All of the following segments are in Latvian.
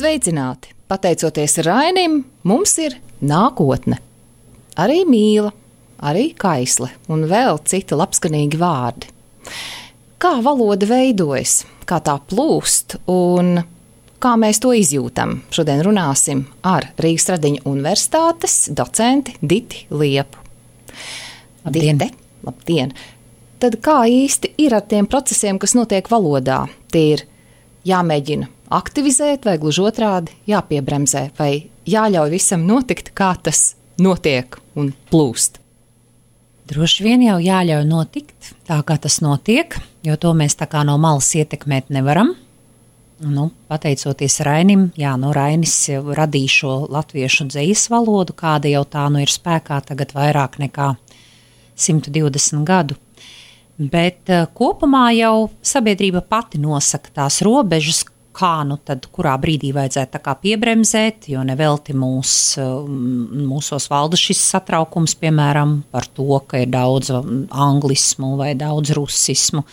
Sveicināti! Pateicoties Rainim, mums ir nākotne. Arī mīla, arī kaisle un vēl citi labskanīgi vārdi. Kā valoda veidojas, kā tā plūst un kā mēs to izjūtam? Šodien runāsim ar Rīgas Stradiņu universitātes docenti Diti Liepu. Labdien! Dite, labdien! Tad kā īsti ir ar tiem procesiem, kas notiek valodā? Tie ir jāmēģina aktivizēt vai gluži otrādi jāpiebremzē vai jāļauj visam notikt, kā tas notiek un plūst? Droši vien jau jāļauj notikt tā, kā tas notiek, jo to mēs tā kā no malas ietekmēt nevaram. Pateicoties Rainim, Rainis jau radīja šo latviešu dzejas valodu, kāda jau tā ir spēkā tagad vairāk nekā 120 gadu. Bet kopumā jau sabiedrība pati nosaka tās robežas, kā tad kurā brīdī vajadzētu tā kā piebremzēt, jo nevelti mūsos valda šis satraukums, piemēram, par to, ka ir daudz anglismu vai daudz rusismu,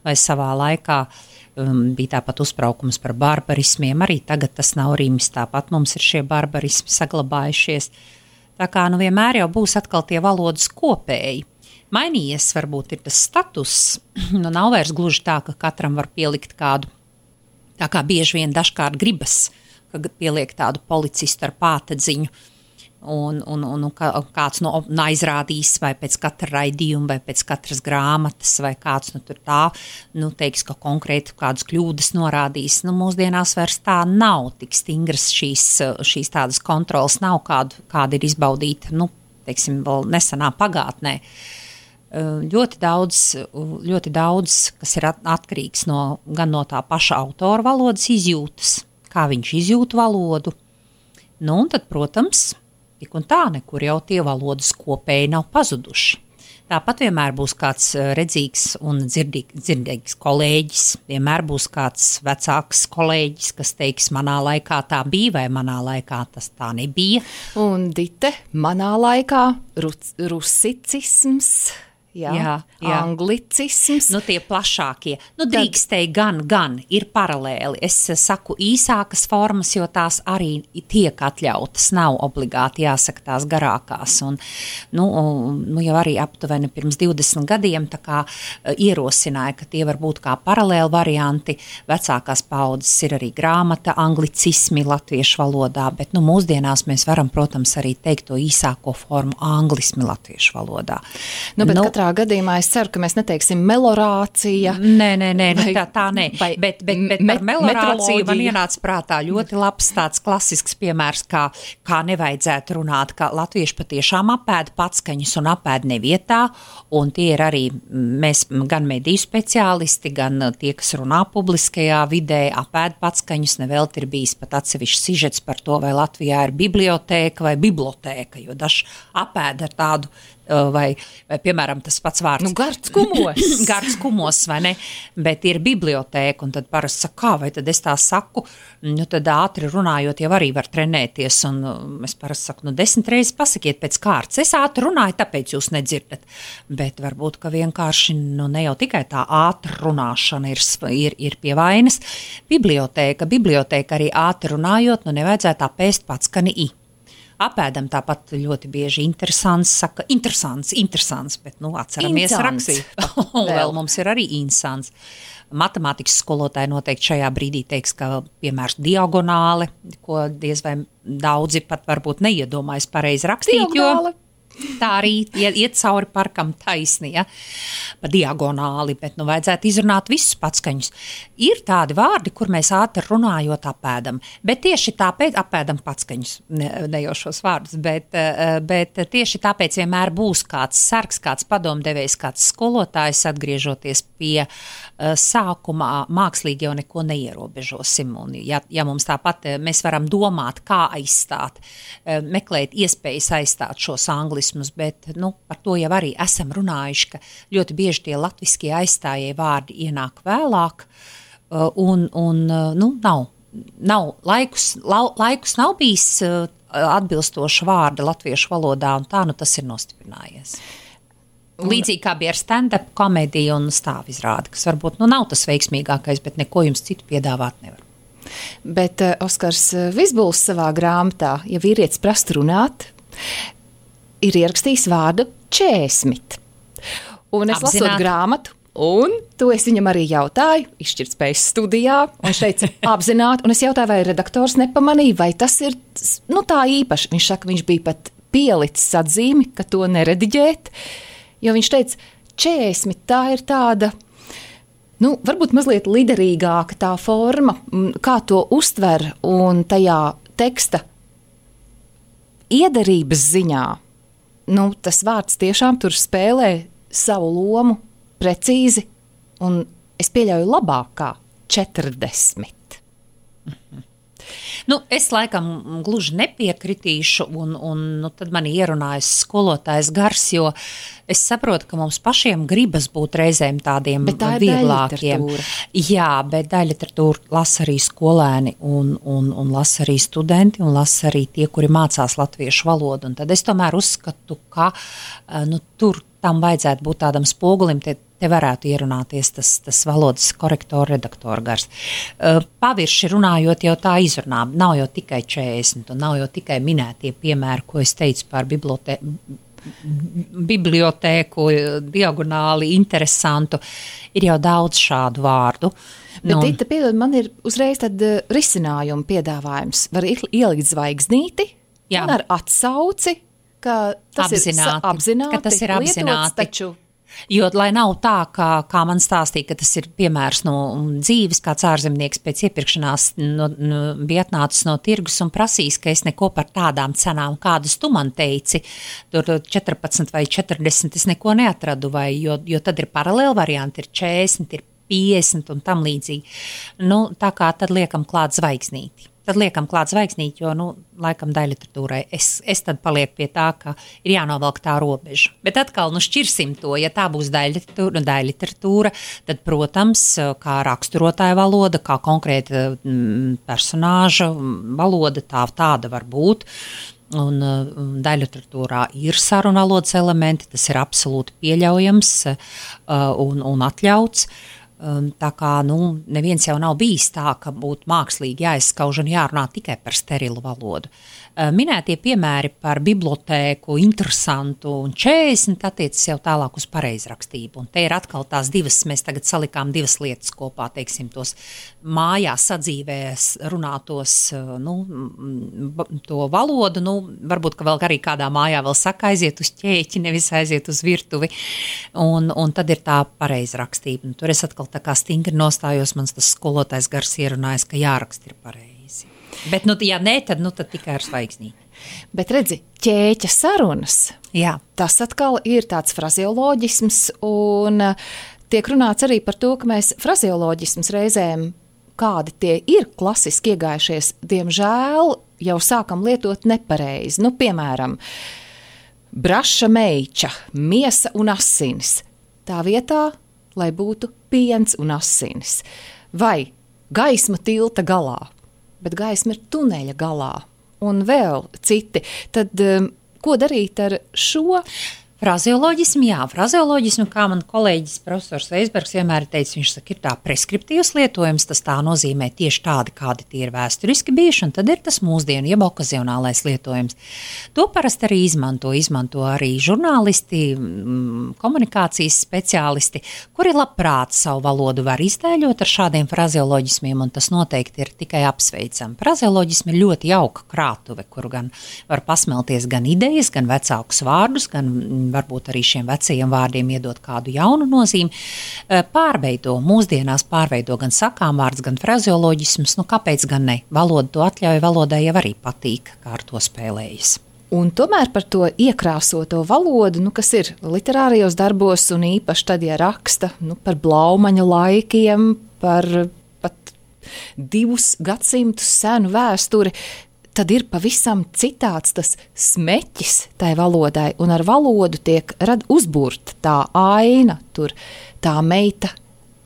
vai savā laikā bija tāpat uzbraukums par barbarismiem, arī tagad tas nav rimis, tāpat mums ir šie barbarismi saglabājušies. Tā kā vienmēr jau būs atkal tie valodas kopēji. Mainījies varbūt ir tas status, nav vairs gluži tā, ka katram var pielikt kādu, tā kā bieži vien dažkārt gribas, ka pieliek tādu policistu ar pātadziņu un kāds aizrādīs vai pēc katra raidījuma vai pēc katras grāmatas vai kāds tur tā, teiks, ka konkrēti kādas kļūdas norādīs. Mūsdienās vairs tā nav tik stingras šīs tādas kontrolas, nav kāda ir izbaudīta, vēl nesenā pagātnē. Ļoti daudz, kas ir atkarīgs gan no tā paša autora valodas izjūtas, kā viņš izjūt valodu. Un tad, protams, tik un tā nekur jau tie valodas kopēji nav pazuduši. Tāpat vienmēr būs kāds redzīgs un dzirdīgs kolēģis, vienmēr būs kāds vecāks kolēģis, kas teiks, manā laikā tā bija vai manā laikā tas tā nebija. Un Dite, manā laikā rusicisms. Jā. Anglicisms. Tie plašākie. Drīkstēji gan ir paralēli. Es saku īsākas formas, jo tās arī tiek atļautas. Nav obligāti jāsaka tās garākās. Jau arī aptuveni pirms 20 gadiem tā kā ierosināja, ka tie var būt kā paralēli varianti. Vecākās paudzes ir arī grāmata, anglicismi latviešu valodā, bet mūsdienās mēs varam, protams, arī teikt to īsāko formu anglismi latviešu valodā. Katrā gadījumā es ceru, ka mēs neteiksim melorācija. Nē, tā nē. Bet par melorāciju man ienāca prātā ļoti labs tāds klasisks piemērs, kā nevajadzētu runāt, ka latvieši patiešām apēda patskaņus un apēda nevietā, un tie ir arī mēs gan mediju speciālisti, gan tie, kas runā publiskajā vidē, apēda patskaņus, nevelti ir bijis pat atsevišķs sižets par to, vai Latvijā ir bibliotēka vai bibliotēka, jo daži apēda ar tādu vai piemēram tas pats vārds. Gards kumos, vai ne? Bet ir bibliotēka, un tad parasti saka, kā, vai tad es tā saku, tad ātri runājot jau arī var trenēties, un es parasti saku, 10 reizes pasakiet pēc kārtas. Es ātri runāju, tāpēc jūs nedzirdat. Bet varbūt, ka vienkārši, ne jau tikai tā ātra runāšana ir pie vainas. Bibliotēka arī ātri runājot, nevajadzētu apēst patskani i. Apēdam tāpat ļoti bieži interesants, bet atceramies rakstīt. Vēl mums ir arī interesants. Matemātikas skolotāji noteikti šajā brīdī teiks, ka piemērs diagonāli, ko diez vai daudzi pat varbūt neiedomājas pareizi rakstīt, diagonāli. Tā arī iet cauri parkam taisni, pa diagonāli, bet vajadzētu izrunāt visus patskaņus. Ir tādi vārdi, kur mēs ātri runājot apēdam, bet tieši tāpēc apēdam patskaņus, ne jau šos vārdus, bet tieši tāpēc vienmēr būs kāds sargs, kāds padomdevējs, kāds skolotājs, atgriežoties pie sākumā, mākslīgi jau neko neierobežosim. Un ja mums tāpat mēs varam domāt, kā aizstāt, meklēt iespējas aizstāt šos anglismus, bet par to jau arī esam runājuši, ka ļoti bieži tie latviskie aizstājie vārdi ienāk vēlāk, un nav laikus nav bijis atbilstoša vārda latviešu valodā, un tā tas ir nostiprinājies. Līdzīgi kā bija ar stand-up komēdiju un stāvizrādi, kas varbūt nav tas veiksmīgākais, bet neko jums citu piedāvāt nevar. Bet Oskars Vizbuls savā grāmatā, ja vīrietis prasa runāt, ir ierakstījis vārdu 40. Un es lasot grāmatu, un to es viņam arī jautāju, izšķirtspējas studijā, un viņš teica apzināti, un es jautāju, vai redaktors nepamanīja, vai tas ir, tā īpaši. Viņš saka, viņš bija pat pielicis atzīmi, ka to nerediģēt, jo viņš teica, 40, tā ir tāda, varbūt mazliet liderīgāka tā forma, kā to uztver, un tajā teksta iederības ziņā, tas vārds tiešām tur spēlē savu lomu precīzi, un es pieļauju labākā 40. Es laikam gluži nepiekritīšu, un tad man ierunājas skolotājs gars, jo es saprotu, ka mums pašiem gribas būt reizēm tādiem vieglākiem. Jā, bet daļliteratūru lasa arī skolēni, un lasa arī studenti, un lasa arī tie, kuri mācās latviešu valodu. Un tad es tomēr uzskatu, ka tur tam vajadzētu būt tādam spogulim, te varētu ierunāties tas valodas korektora, redaktora gars. Pavirši runājot, jau tā izrunā, nav jau tikai 40, un nav jau tikai minētie piemēri, ko es teicu par bibliotēku, diagonāli, interesantu. Ir jau daudz šādu vārdu. Bet, Dita, piedod, man ir uzreiz tad risinājuma piedāvājums. Var ielikt zvaigznīti un ar atsauci, ka tas ir apzināti lietots, taču... Jo, lai nav tā, kā man stāstīja, ka tas ir piemērs no dzīves, kāds ārzemnieks pēc iepirkšanās bija atnācis no tirgus un prasījis, ka es neko par tādām cenām, kādas tu man teici, tur 14 vai 40, es neko neatradu, jo tad ir paralēli varianti, ir 40, ir 50 un tam līdzīgi. Tā kā tad liekam klāt zvaigznīti. Jo, laikam daļliteratūrai es tad palieku pie tā, ka ir jānovelk tā robeža. Bet atkal, šķirsim to, ja tā būs daļliteratūra, tad, protams, kā raksturotāja valoda, kā konkrēta personāža valoda, tāda var būt. Un daļliteratūrā ir sarunvalodas elementi, tas ir absolūti pieļaujams un atļauts. Tā kā neviens jau nav bijis tā, ka būtu mākslīgi jāizskauž un jārunā tikai par sterilu valodu. Minētie piemēri par bibliotēku, interesantu un 40 attiecas jau tālāk uz pareizrakstību. Un te ir atkal tās divas, mēs tagad salikām divas lietas kopā, teiksim, tos mājās sadzīvēs runātos, to valodu, varbūt, ka vēl arī kādā mājā vēl saka aiziet uz ķēķi, nevis aiziet uz virtuvi. Un tad ir tā pareizrakstība. Tur es atkal tā kā stingri nostājos, mans tas skolotājs gars ierunājas, ka jāraksta ir pareizi. Bet, ja nē, tad tikai ar zvaigznīti. Bet redzi, ķēķa sarunas, jā. Tas atkal ir tāds frazeoloģisms, un tiek runāts arī par to, ka mēs frazeoloģisms reizēm, kādi tie ir klasiski iegājušies, diemžēl jau sākam lietot nepareizi. Piemēram, braša meiča, miesa un asinis. Tā vietā, lai būtu piens un asinis. Vai gaisma tilta galā. Bet gaisma ir tuneļa galā, un vēl citi. Tad ko darīt ar šo? Frazeoloģismu, kā man kolēģis profesors Veisbergs vienmēr teica, viņš saka, ir tā preskriptīvs lietojums, tas tā nozīmē tieši tādi, kādi tie ir vēsturiski bijuši, un tad ir tas mūsdienu, jeb okazionālais lietojums. To parasti arī izmanto arī žurnālisti, komunikācijas speciālisti, kuri labprāt savu valodu var iztēļot ar šādiem frazeoloģismiem, un tas noteikti ir tikai apsveicam. Frazeoloģismi ir ļoti jauka krātuve, kuru gan var pasmelties gan idejas, gan vecākus vārdus, gan varbūt arī šiem vecajiem vārdiem iedot kādu jaunu nozīmi, mūsdienās pārveido gan sakām vārds, gan frazeoloģismus, kāpēc gan ne? Valoda to atļauj, valodai jau arī patīk, kā ar to spēlējas. Un tomēr par to iekrāsoto valodu, kas ir literārajos darbos un īpaši tad, ja raksta par Blaumaņa laikiem, par pat 2 gadsimtus senu vēsturi, tad ir pavisam citāds tas smeķis tai valodai, un ar valodu tiek uzburta tā aina, tur tā meita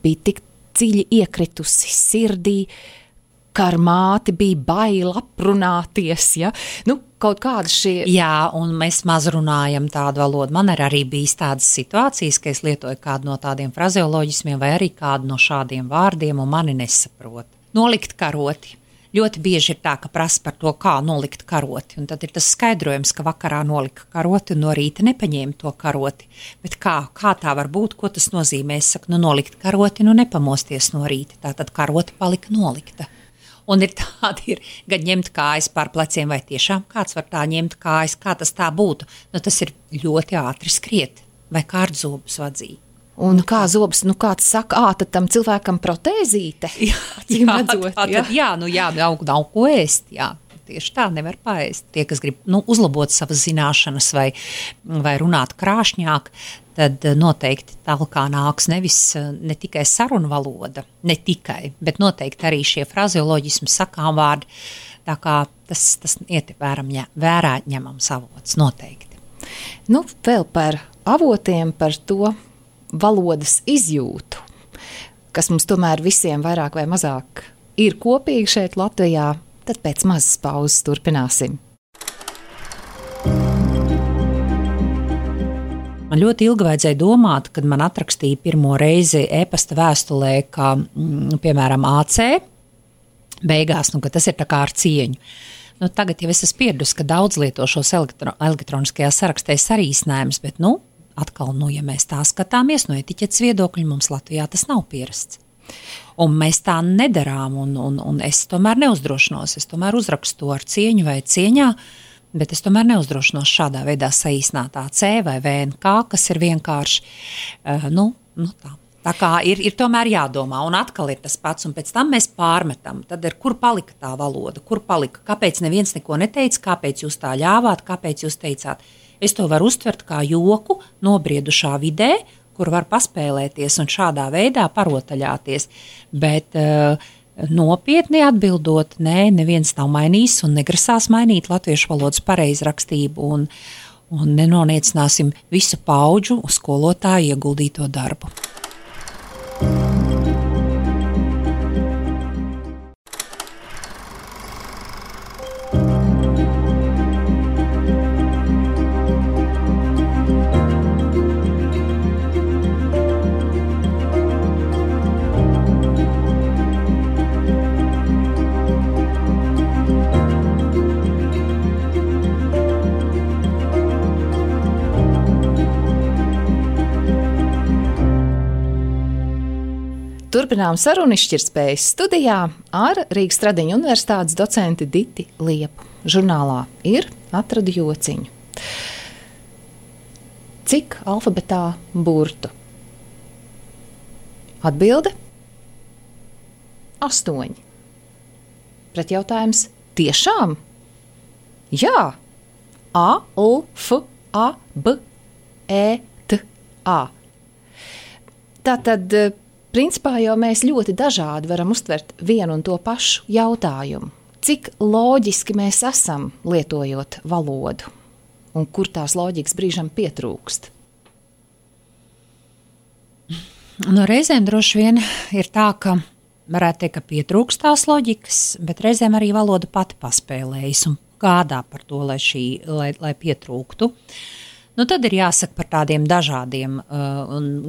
bija tik dziļi iekritusi sirdī, ka ar māti bija baila aprunāties, ja? Kaut kāda šie... Jā, un mēs maz runājam tādu valodu. Man ir arī bijis tādas situācijas, ka es lietoju kādu no tādiem frazeoloģismiem vai arī kādu no šādiem vārdiem, un mani nesaprot. Nolikt karoti. Ļoti bieži ir tā, ka prasa par to, kā nolikt karoti. Un tad ir tas skaidrojums, ka vakarā nolika karoti un no rīta nepaņēma to karoti. Bet kā tā var būt, ko tas nozīmē? Es saku, nolikt karoti, nepamosties no rīta. Tātad karoti palika nolikta. Un ir tādi, gan ņemt kājas pār pleciem, vai tiešām kāds var tā ņemt kājas, kā tas tā būtu. Tas ir ļoti ātri skriet, vai kārtzobus vadzīt. Un kā zobs, kāds saka, tad tam cilvēkam protēzīte. Nav ko ēst, tieši tā nevar paēst. Tie, kas grib uzlabot savas zināšanas vai runāt krāšņāk, tad noteikti tālāk nāks ne tikai sarunu valoda, bet noteikti arī šie frazeoloģismi, sakām vārdi, tā kā tas iet vērā ņemams avots, noteikti. Vēl par avotiem, par to valodas izjūtu, kas mums tomēr visiem vairāk vai mazāk ir kopīgi šeit Latvijā, tad pēc mazas pauzes turpināsim. Man ļoti ilgi vajadzēja domāt, kad man atrakstīja pirmo reizi e-pasta vēstulē, kā, piemēram, AC beigās, ka tas ir tā kā ar cieņu. Tagad jau es esmu pieradusi, ka daudz lieto šos elektroniskajā sarakstē sarīsinājumus, bet, atkal, ja mēs tā skatāmies, no etiķetes viedokļa, mums Latvijā tas nav pierasts. Un mēs tā nedarām, un es tomēr neuzdrošinos, es tomēr uzrakstu ar cieņu vai cieņā, bet es tomēr neuzdrošinos šādā veidā saīsinātā C vai VNK, kas ir vienkārši, tā. Tā kā ir tomēr jādomā, un atkal ir tas pats, un pēc tam mēs pārmetam, tad ir, kur palika tā valoda, kur palika, kāpēc neviens neko neteica, kāpēc jūs tā ļāvāt, kāpēc jūs teicāt. Es to varu uztvert kā joku nobriedušā vidē, kur var paspēlēties un šādā veidā parotaļāties, bet nopietni atbildot, neviens nav mainījis un negrasās mainīt latviešu valodas pareizrakstību un nenoniecināsim visu paudžu uz skolotāju ieguldīto darbu. Turpinām sarunu izšķirtspējas studijā ar Rīgas Stradiņu universitātes docenti Diti Liepu. Žurnālā ir atradu jociņu. Cik alfabetā burtu? Atbilde? 8. Pretjautājums tiešām? Jā. A, L, F, A, B, E, T, A. Tātad principā jau mēs ļoti dažādi varam uztvert vienu un to pašu jautājumu. Cik loģiski mēs esam lietojot valodu un kur tās loģikas brīžam pietrūkst? Reizēm droši vien ir tā, ka varētu teikt, ka pietrūkst tās loģikas, bet reizēm arī valoda pati paspēlējas un gādā par to, lai pietrūktu. Tad ir jāsaka par tādiem dažādiem,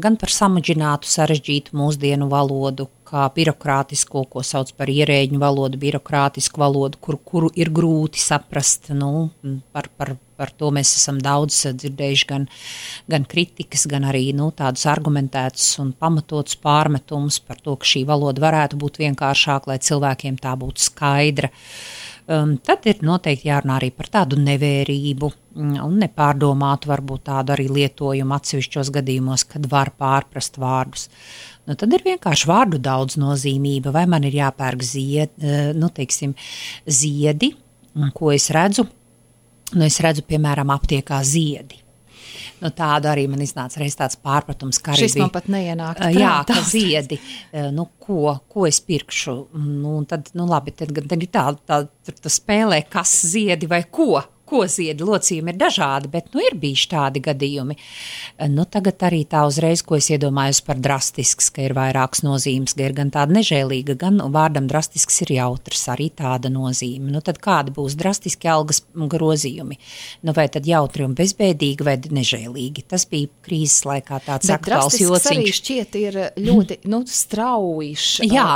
gan par samudžinātu, sarežģītu mūsdienu valodu, kā birokrātisko, ko sauc par ierēģņu valodu, birokrātisku valodu, kuru ir grūti saprast. Par to mēs esam daudz dzirdējuši gan kritikas, gan arī tādus argumentētus un pamatotus pārmetumus par to, ka šī valoda varētu būt vienkāršāka, lai cilvēkiem tā būtu skaidra. Tad ir noteikti jārunā arī par tādu nevērību un nepārdomātu varbūt tādu arī lietojumu atsevišķos gadījumos, kad var pārprast vārdus. Tad ir vienkārši vārdu daudznozīmība, vai man ir jāpērk ziedi, ko es redzu. Es redzu, piemēram, aptiekā ziedi. Tādu arī man iznāca reiz tāds pārpratums, ka arī šis man pat neienāk prātā. Jā, ka ziedi, ko es pirkšu, tad labi, tad ir tā spēlē, kas ziedi vai ko, koziedi locījumi ir dažādi, bet, ir bijuši tādi gadījumi. Tagad arī tā uzreiz, ko es iedomājos par drastisks, ka ir vairākas nozīmes, ka ir gan tāda nežēlīga, gan vārdam drastisks ir jautrs, arī tāda nozīme. Tad kādi būs drastiski algas grozījumi? Vai tad jautri un bezbēdīgi vai nežēlīgi? Tas bija krīzes laikā tāds aktuāls jociņš. Bet drastisks arī šķiet ir ļoti, straujš. Jā,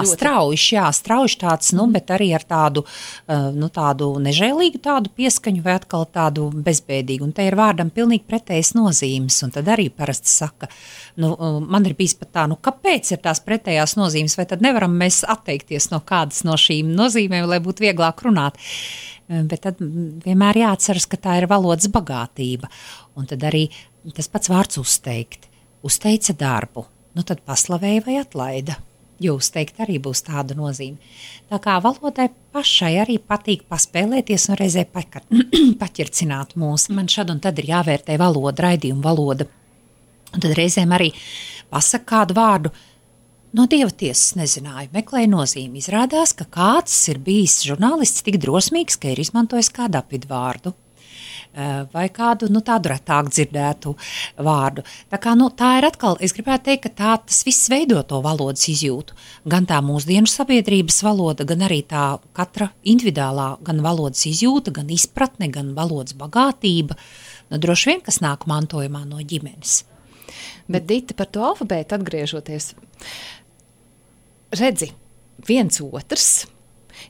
straujiš tāds, bet arī ar tādu, tādu nežēlīgu tādu pieskaņu vai atkal tādu bezbēdīgu. Un te ir vārdam pilnīgi pretējas nozīmes. Un tad arī parasti saka, man ir bijis pat tā, kāpēc ir tās pretējās nozīmes, vai tad nevaram mēs atteikties no kādas no šīm nozīmēm, lai būtu vieglāk runāt. Bet tad vienmēr jāatceras, ka tā ir valodas bagātība. Un tad arī tas pats vārds uzteikt. Uzteica darbu. Tad paslavēja vai atlaida. Jo uzteikt arī būs tāda nozīme. Tā kā valodai pašai arī patīk paspēlēties un reizē paķircināt mūs. Man šad un tad ir jāvērtē valoda, raidījuma valoda. Un tad reizēm arī pasaka kādu vārdu. No Dieva tiesas nezināju, meklēju nozīmi. Izrādās, ka kāds ir bijis žurnālists tik drosmīgs, ka ir izmantojis kādu apvidvārdu. Vai kādu tādu retāk dzirdētu vārdu. Tā kā tā ir atkal, es gribētu teikt, ka tas viss veido to valodas izjūtu. Gan tā mūsdienu sabiedrības valoda, gan arī tā katra individuālā gan valodas izjūta, gan izpratne, gan valodas bagātība. Droši vien, kas nāk mantojumā no ģimenes. Bet Dita, par to alfabētu atgriežoties, redzi, viens otrs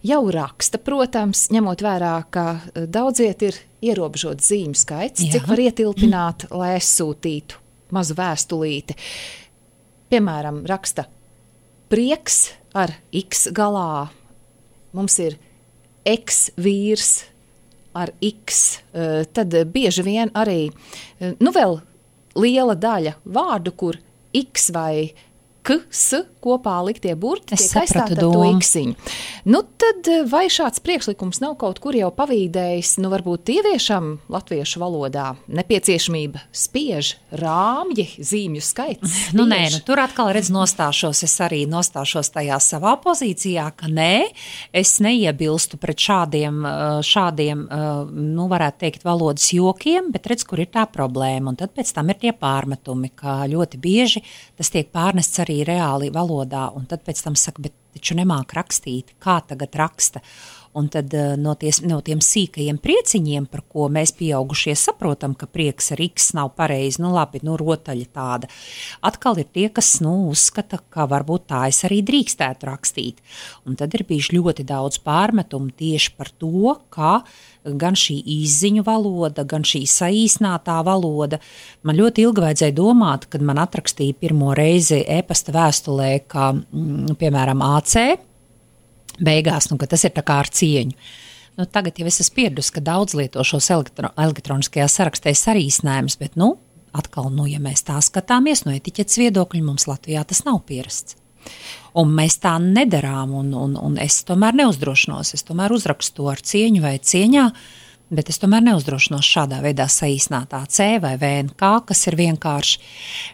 jau raksta, protams, ņemot vērā, ka daudziet ir ierobežots zīmju skaits, cik var ietilpināt, lai aizsūtītu mazu vēstulīti. Piemēram, raksta prieks ar X galā, mums ir eks-vīrs ar X, tad bieži vien arī, vēl liela daļa vārdu, kur X vai K-S kopā liktie burti tiek aizstāti ar to iksiņu. Tad vai šāds priekšlikums nav kaut kur jau pavīdējis, varbūt ieviešam latviešu valodā nepieciešamība spiež rāmji, zīmju skaits? Tur atkal nostāšos, es arī nostāšos tajā savā pozīcijā, ka es neiebilstu pret šādiem, varētu teikt, valodas jokiem, bet redz, kur ir tā problēma, un tad pēc tam ir tie pārmetumi, ka ļoti bieži tas tiek pārnests arī reāli valodā, un tad pēc tam saka, bet taču nemāk rakstīt, kā tagad raksta. Un tad no tiem sīkajiem prieciņiem, par ko mēs pieaugušie saprotam, ka prieks ar X nav pareizi, rotaļa tāda. Atkal ir tie, kas uzskata, ka varbūt tā es arī drīkstētu rakstīt. Un tad ir bijuši ļoti daudz pārmetumu tieši par to, kā gan šī izziņu valoda, gan šī saīsnātā valoda. Man ļoti ilgi vajadzēja domāt, kad man atrakstīja pirmo reizi e-pasta vēstulē, ka, piemēram, AC, beigās, ka tas ir tā kā ar cieņu. Tagad jau es esmu pieradusi, ka daudz lieto šos elektroniskajā sarakstē sarīsnējumus, bet, atkal, ja mēs tā skatāmies no etiķetes viedokļa, mums Latvijā tas nav pierasts. Un mēs tā nedarām, un es tomēr neuzdrošinos. Es tomēr uzrakstu ar cieņu vai cieņā, bet es tomēr neuzdrošinos šādā veidā saīsnātā C vai VNK, kas ir vienkārši,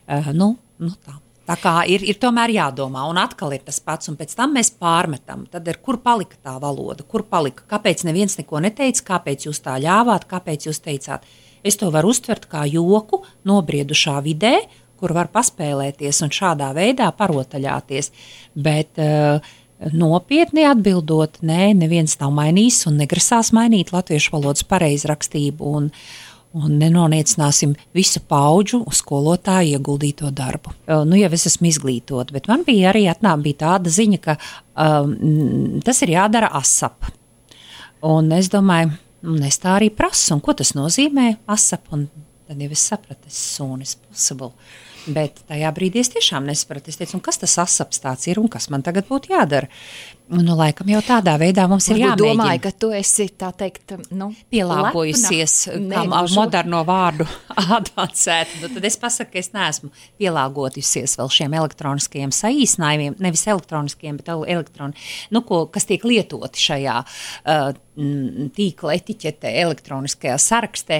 tā. Tā kā ir tomēr jādomā, un atkal ir tas pats, un pēc tam mēs pārmetam. Tad ir, kur palika tā valoda, kur palika, kāpēc neviens neko neteica, kāpēc jūs tā ļāvāt, kāpēc jūs teicāt. Es to varu uztvert kā joku nobriedušā vidē, kur var paspēlēties un šādā veidā parotaļāties. Bet nopietni atbildot, neviens nav mainījis un negrasās mainīt latviešu valodas pareizrakstību, un nenoniecināsim visu paudžu uz skolotāju ieguldīto darbu. Jau es esmu izglītot, bet man bija arī bija tāda ziņa, ka tas ir jādara ASAP. Un es domāju, es tā arī prasu, un ko tas nozīmē ASAP, un tad jau es sapratu, as soon as possible. Bet tajā brīdī es tiešām nesapratu. Es teicu, un kas tas asaps tāds ir un kas man tagad būtu jādara? Laikam jau tādā veidā mums ir jāmēģina. Domāju, ka tu esi, tā teikt, pielāgojusies kā moderno vārdu advancēta. Nu, tad es pasaku, ka es neesmu pielāgojusies vēl šiem elektroniskajiem saīsinājumiem, nevis elektroniskiem, bet kas tiek lietoti šajā tīkla etiķetē, elektroniskajā sarakstē.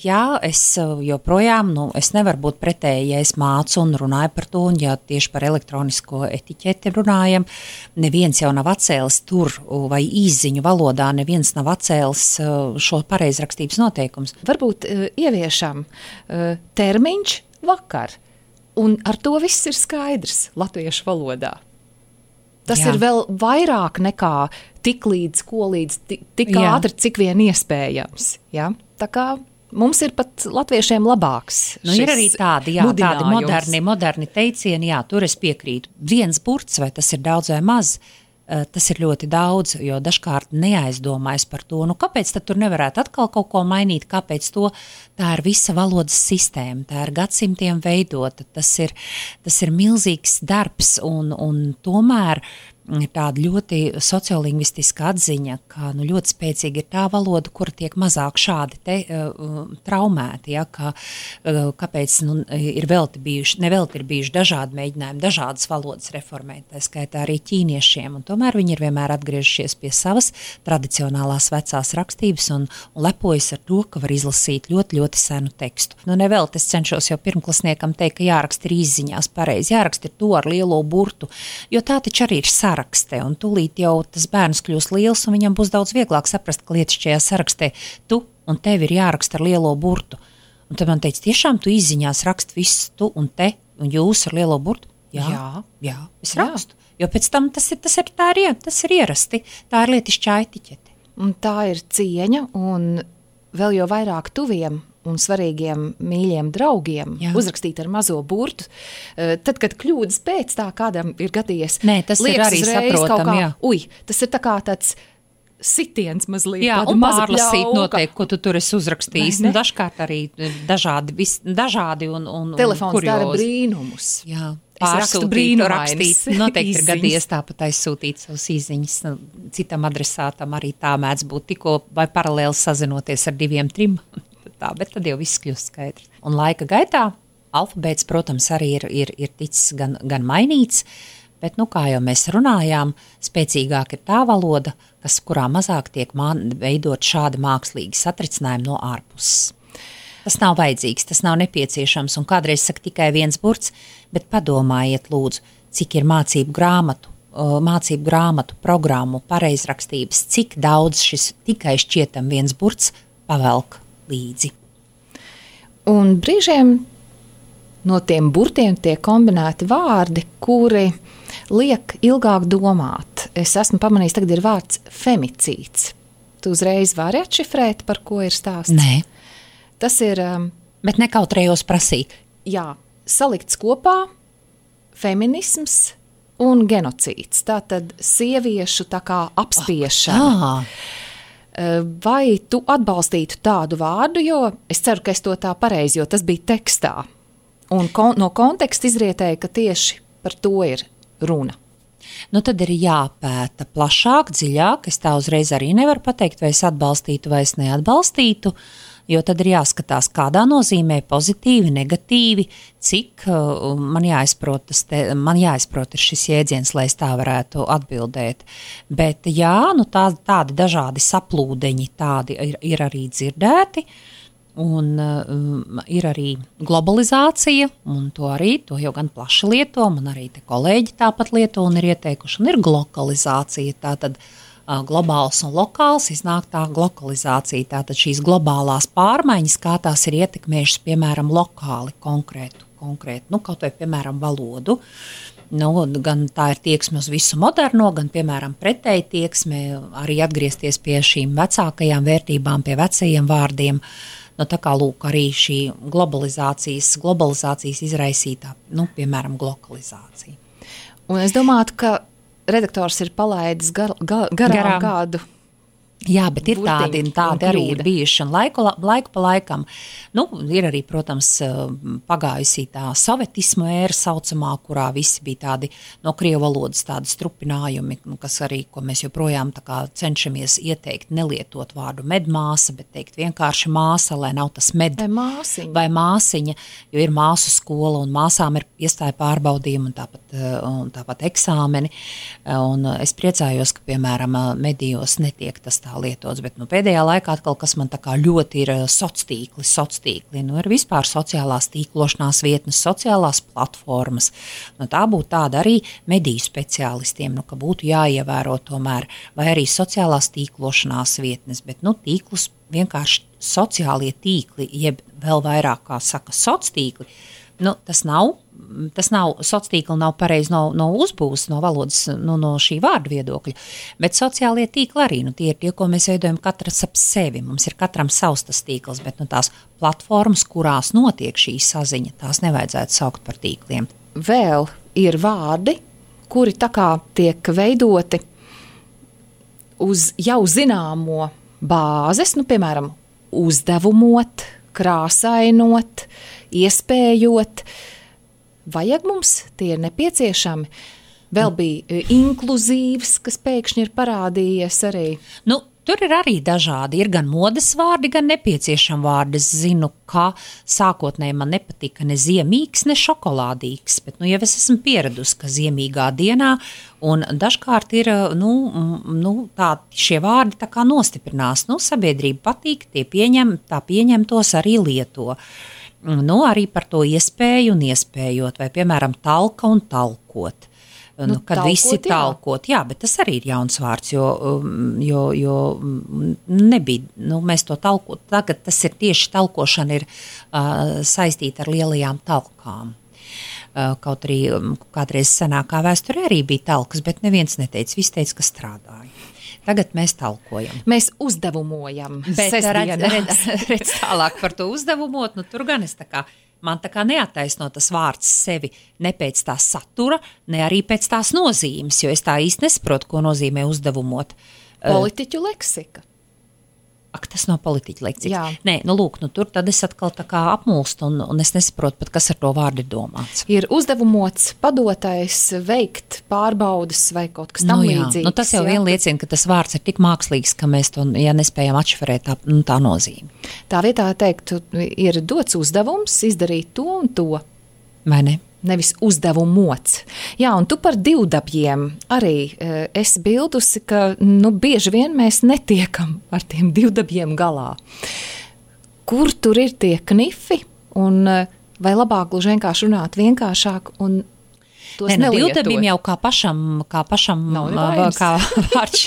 Jā, es joprojām, es nevaru būt pretēji, ja es mācu un runāju par to, un ja tieši par elektronisko etiķeti runājam, neviens jau nav atcēlis tur vai īsziņu valodā, neviens nav atcēlis šo pareizrakstības noteikums. Varbūt ieviešam termiņš vakar, un ar to viss ir skaidrs latviešu valodā. Tas ir vēl vairāk nekā tik ātri, cik vien iespējams. Ja? Tā kā mums ir pat latviešiem labāks. Ir arī tādi moderni teicieni, tur es piekrītu. Viens burts, vai tas ir daudz vai maz, tas ir ļoti daudz, jo dažkārt neaizdomājas par to, kāpēc tad tur nevarētu atkal kaut ko mainīt, kāpēc to, tā ir visa valodas sistēma, tā ir gadsimtiem veidota, tas ir milzīgs darbs un tomēr ir tāda ļoti sociolingvistiska atziņa, ka ļoti spēcīga ir tā valoda, kura tiek mazāk šādi traumēti, kāpēc nevelti ir bijuši dažādi mēģinājumi, dažādas valodas reformēt, tā skaitā arī ķīniešiem, un tomēr viņi ir vienmēr atgriežušies pie savas tradicionālās vecās rakstības un lepojas ar to, ka var izlasīt ļoti, ļoti senu tekstu. Nevelti es cenšos jau pirmklasniekam teikt, ka jāraksta ir izziņās pareizi, jāraksta ir to ar lielo burtu, jo tā taču arī ir sarakste, un tūlīt jau tas bērns kļūs liels, un viņam būs daudz vieglāk saprast, ka lietišķajā sarakstē tu un tev ir jāraksta ar lielo burtu. Un tad man teica, tiešām tu izziņās rakst viss tu un te, un jūs ar lielo burtu? Jā, es rakstu. Jo pēc tam tas ir ierasti, tā ir lietišķā etiķete. Un tā ir cieņa, un vēl jau vairāk tuviem un svarīgiem mīļiem draugiem uzrakstīt ar mazo burtu. Tad, kad kļūdas pēc tā kādam ir gadījies, tas ir arī saprotam, tas ir tā kā tāds sitiens mazliet. Jā, un pārlasīt noteikti, ko tu tur esi uzrakstījis. Dažkārt arī dažādi un telefons kuriozi. Dara brīnumus. Jā. Rakstīt, noteikti ir gadījies tāpat aizsūtīt savus īziņas citam adresātam, arī tā mēdz būt tikko vai paralēli sazinoties ar 2, 3. Bet tad jau viss kļūst skaidrs. Un laika gaitā alfabēts, protams, arī ir ticis gan mainīts, bet, kā jau mēs runājām, spēcīgāk ir tā valoda, kurā mazāk tiek veidot šādi mākslīgi satricinājumi no ārpuses. Tas nav vajadzīgs, tas nav nepieciešams, un kādreiz saka tikai viens burts, bet padomājiet, lūdzu, cik ir mācību grāmatu, programmu, pareizrakstības, cik daudz šis tikai šķietam viens burts pavelk līdzi. Un brīžiem no tiem burtiem tiek kombinēti vārdi, kuri liek ilgāk domāt. Es esmu pamanījis, tagad ir vārds femicīds. Tu uzreiz vari atšifrēt, par ko ir stāsts? Nē. Tas ir... Bet nekautrējos prasīt. Jā, salikts kopā feminisms un genocīds. Tātad sieviešu tā kā apspiešana. Vai tu atbalstītu tādu vārdu, jo es ceru, ka es to tā pareizi, jo tas bija tekstā. Un no konteksta izrietēja, ka tieši par to ir runa. Tad ir jāpēta plašāk, dziļāk. Es tā uzreiz arī nevaru pateikt, vai es atbalstītu vai es neatbalstītu, jo tad ir jāskatās, kādā nozīmē pozitīvi, negatīvi, cik man jāizprot ir šis jēdziens, lai es tā varētu atbildēt. Bet jā, tādi dažādi saplūdeņi tādi ir arī dzirdēti. Un ir arī globalizācija, un to jau gan plaši lieto, man arī te kolēģi tāpat lieto un ir ieteikuši, un ir glokalizācija, tātad globāls un lokāls, iznāk tā glokalizācija, tātad šīs globālās pārmaiņas, kā tās ir ietekmējušas, piemēram, lokāli konkrētu, kaut vai, piemēram, valodu. Gan tā ir tieksme uz visu moderno, gan, piemēram, pretēji tieksme, arī atgriezties pie šīm vecākajām vērtībām, pie vecajiem vārdiem. Tā kā lūk, arī šī globalizācijas izraisītā, piemēram, glokalizācija. Un es domāju, ka redaktors ir palaidis garām kādu Jā, bet ir tādi arī ir bijuši, un laiku pa laikam, ir arī, protams, pagājusī tā sovetismu ēra saucamā, kurā visi bija tādi no krievu valodas tādi strupinājumi, kas arī, ko mēs joprojām tā kā cenšamies ieteikt, nelietot vārdu medmāsa, bet teikt vienkārši māsa, lai nav tas med vai māsiņa, jo ir māsu skola, un māsām ir iestāja pārbaudījumi, un tāpat eksāmeni, un es priecājos, ka, piemēram, medijos netiek tas tā lietots, bet pēdējā laikā atkal, kas man tā kā ļoti ir sociātīkli, ir vispār sociālās tīklošanās vietnes, sociālās platformas. Tā būtu tāda arī mediju speciālistiem, ka būtu jāievēro tomēr, vai arī sociālās tīklošanās vietnes, bet tīklus vienkārši sociālie tīkli, jeb vēl vairāk, kā saka, sociātīkli, tas nav, sociātīkli nav pareizi no uzbūves, no valodas, no šī vārda viedokļa, bet sociālie tīkli arī, tie ir tie, ko mēs veidojam katrs ap sevi, mums ir katram savs tas tīkls, bet tās platformas, kurās notiek šī saziņa, tās nevajadzētu saukt par tīkliem. Vēl ir vārdi, kuri tā kā tiek veidoti uz jau zināmo bāzes, piemēram, uzdevumot, krāsainot, iespējot. Vajag mums, tie ir nepieciešami. Vēl bija inkluzīvs, kas pēkšņi ir parādījies arī. Tur ir arī dažādi, ir gan modes vārdi, gan nepieciešami vārdi. Es zinu, ka sākotnēji man nepatika ne ziemīgs, ne šokolādīgs, bet jau es esmu pieradusi, ka ziemīgā dienā, un dažkārt ir, šie vārdi tā kā nostiprinās. Sabiedrība patīk, pieņem tos arī lieto. Arī par to iespēju un iespējot, vai, piemēram, talka un talkot. Kad talkot, visi talkot, jā, bet tas arī ir jauns vārds, jo nebija, mēs to talkot, tagad tas ir tieši talkošana ir saistīta ar lielajām talkām. Kaut arī kādreiz senākā vēsturē arī bija talkas, bet neviens neteica, visi teica, ka strādāja. Tagad mēs talkojam. Mēs uzdevumojam. Bet redz tālāk par to uzdevumot, tur gan es man tā kā neattaisno tas vārds sevi ne pēc tā satura, ne arī pēc tās nozīmes, jo es tā īsti nesaprotu, ko nozīmē uzdevumot. Politiķu leksika. Ak, tas nav politiķa lekcija. Jā. Nē, tur tad es atkal tā kā apmulstu un es nesaprotu pat, kas ar to vārdu ir domāts. Ir uzdevumots padotais veikt pārbaudas vai kaut kas tam līdzīgs. Tas jau vien liecina, ka tas vārds ir tik mākslīgs, ka mēs to, nespējam atšifrēt tā nozīme. Tā vietā teiktu, ir dots uzdevums izdarīt to un to. Vai ne? Nevis uzdevumots. Jā, un tu par divdabjiem arī esi bildusi, ka bieži vien mēs netiekam ar tiem divdabjiem galā. Kur tur ir tie knifi un vai labāk gluži vienkārši runāt vienkāršāk un tos nelietot? Divdabim jau kā pašam kā vārds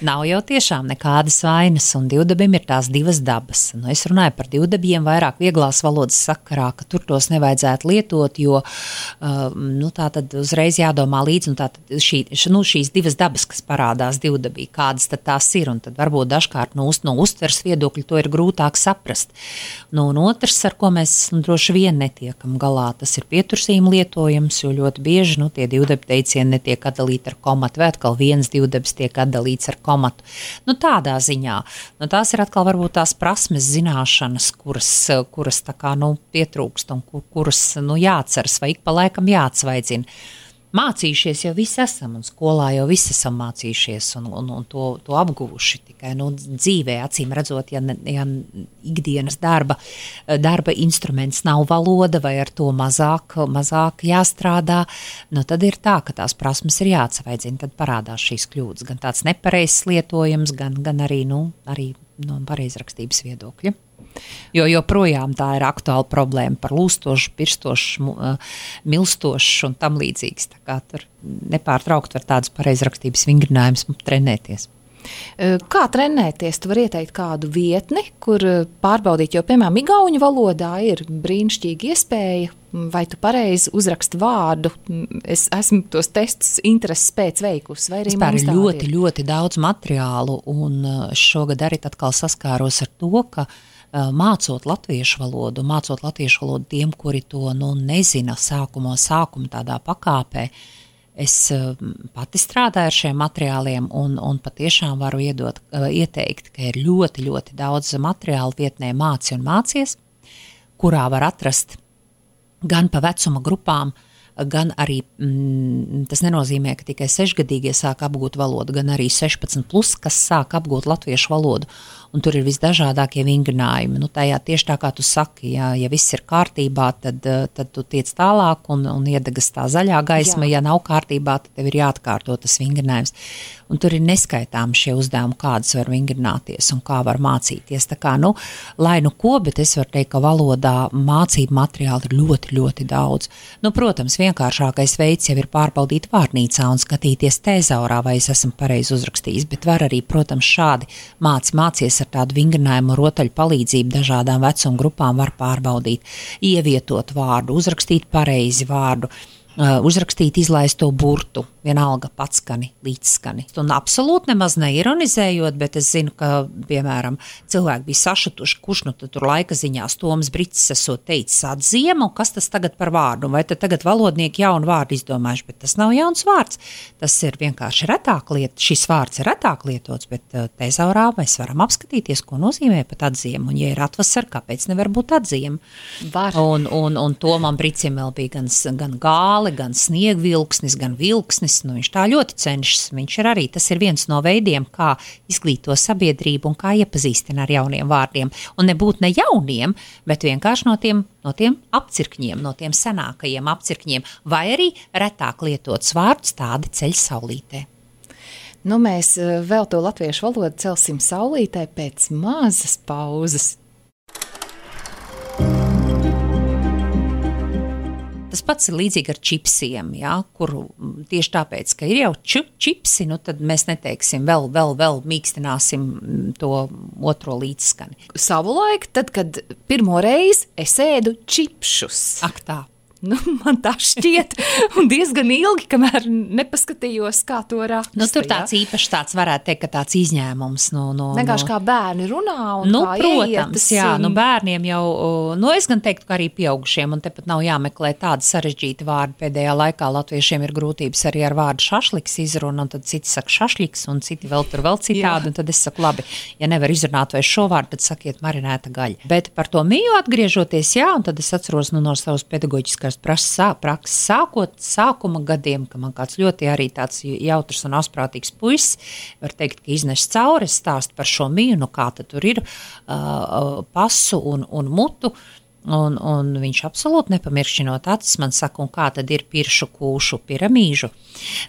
nav jau tiešām nekādas vainas, un divdabim ir tās divas dabas. Es runāju par divdabiem vairāk vieglās valodas sakarā, ka tur tos nevajadzētu lietot, jo tā tad uzreiz jādomā līdzi, tātad šīs divas dabas, kas parādās divdabī, kādas tad tās ir, un tad varbūt dažkārt no uztveres viedokļa to ir grūtāk saprast. Un otrs, ar ko mēs droši vien netiekam galā, tas ir pietursījuma lietojums, jo ļoti bieži tie divdabi teicieni netiek atdalīti ar komatu, vai atkal viens divdabis tiek atdalīts ar komatu. Tādā ziņā. Tās ir atkal varbūt tās prasmes zināšanas, kuras tā kā pietrūkst un kuras jāatceras vai ik pa laikam jāatsvaidzina. Mācījušies jau visi esam, un skolā jau visi esam mācījušies un to apguvuši tikai dzīvē, acīm redzot, ja ikdienas darba instruments nav valoda vai ar to mazāk jāstrādā, tad ir tā, ka tās prasmes ir jāatsvaidzina, tad parādās šīs kļūdas, gan tāds nepareizs lietojums, gan arī no pareizrakstības viedokļa. Jo joprojām tā ir aktuāla problēma par lūstošu, pirstošu, milstošu un tam līdzīgs. Tā kā tur nepārtraukt var tādas pareizrakstības vingrinājumus trenēties. Kā trenēties? Tu vari ieteikt kādu vietni, kur pārbaudīt, jo, piemēram, igauņu valodā ir brīnišķīga iespēja, vai tu pareizi uzraksti vārdu. Es esmu tos testus intereses pēc veikusi, vai arī mums tādi ir? Ļoti daudz materiālu, un šogad arī atkal saskāros ar to, ka mācot latviešu valodu tiem, kuri to nezina sākuma tādā pakāpē, Es pati strādāju ar šiem materiāliem un patiešām varu ieteikt, ka ir ļoti, ļoti daudz materiālu vietnē Māci un mācies, kurā var atrast gan pa vecuma grupām, gan arī, tas nenozīmē, ka tikai 6-gadīgie sāk apgūt valodu, gan arī 16+, kas sāk apgūt latviešu valodu, un tur ir visdažādākie vingrinājumi. Tajā tieši tā kā tu saki, ja viss ir kārtībā, tad tu tiec tālāk un iedegas tā zaļā gaisma, ja nav kārtībā, tad tev ir jāatkārto tas vingrinājums. Un tur ir neskaitāmi šie uzdevumi, kādas var vingrināties un kā var mācīties. Tā kā, lai ko, bet es varu teikt, ka valodā mācību materiāli ir ļoti, ļoti daudz. Protams, vienkāršākais veids jau ir pārbaudīt vārnīcā un skatīties tezaurā, vai es esmu pareizi uzrakstījis, bet var arī, protams, šādi mācies ar tādu vingrinājumu rotaļu palīdzību dažādām vecuma grupām var pārbaudīt, ievietot vārdu, uzrakstīt pareizi vārdu, uzrakstīt izlaisto burtu, vienalga patskani, līdzskani. Un absolūti nemaz neironizējot, bet es zinu, ka, piemēram, cilvēki bija sašutuši, kurš tad tur laika ziņās Toms Bricis esot teicis atziema, un kas tas tagad par vārdu, vai tad tagad valodnieki jaunu vārdu izdomājuši, bet tas nav jauns vārds. Tas ir vienkārši retāk šis vārds ir retāk lietots, bet tezaurā mēs varam apskatīties, ko nozīmē pat atziema, un ja ir atvasara, kāpēc nevar būt atziema? Var. Un Tomam Bricim vēl bija gan gāli, gan sniegvilksnis, gan vilksnis. Viņš tā ļoti cenšas. Viņš ir arī, tas ir viens no veidiem, kā izglīto sabiedrību un kā iepazīstina ar jauniem vārdiem. Un nebūt ne jauniem, bet vienkārši no tiem apcirkņiem, no tiem senākajiem apcirkņiem, vai arī retāk lietots vārds tādi ceļ saulītē. Mēs vēl to latviešu valodu celsim saulītē pēc mazas pauzes. Tas pats ir līdzīgi ar čipsiem, kur tieši tāpēc, ka ir jau čipsi, tad mēs neteiksim vēl mīkstināsim to otro līdzskani. Savulaik, tad, kad pirmo reizi es ēdu čipšus. Ak tā. Man tā šķiet, un diezgan ilgi, kamēr nepaskatījos, kā to raksta. Tur tāds īpašs tāds varētu teikt, ka tāds izņēmums. Vienkārši kā bērni runā un kā protams, ieietas. Bērniem jau, es gan teiktu, ka arī pieaugušiem, un tepat nav jāmeklē tādi sarežģīti vārdi. Pēdējā laikā latviešiem ir grūtības arī ar vārdu šašliks izruna, un tad citi saka šašliks, un citi vēl citādi, un tad es saku, labi, ja nevar izrunāt vai šo vārdu, tad sakiet marinēta gaļa. Bet par to miju atgriežoties, un tad es atceros no savas pedagoģiskās prakses sākuma gadiem, ka man kāds ļoti arī tāds jautrs un asprātīgs puisis, var teikt, ka iznes cauri, stāst par šo miju, kā tad tur ir pasu un mutu, un viņš absolūti nepamiršķinot acis man saka, un kā tad ir piršu kūšu piramīžu.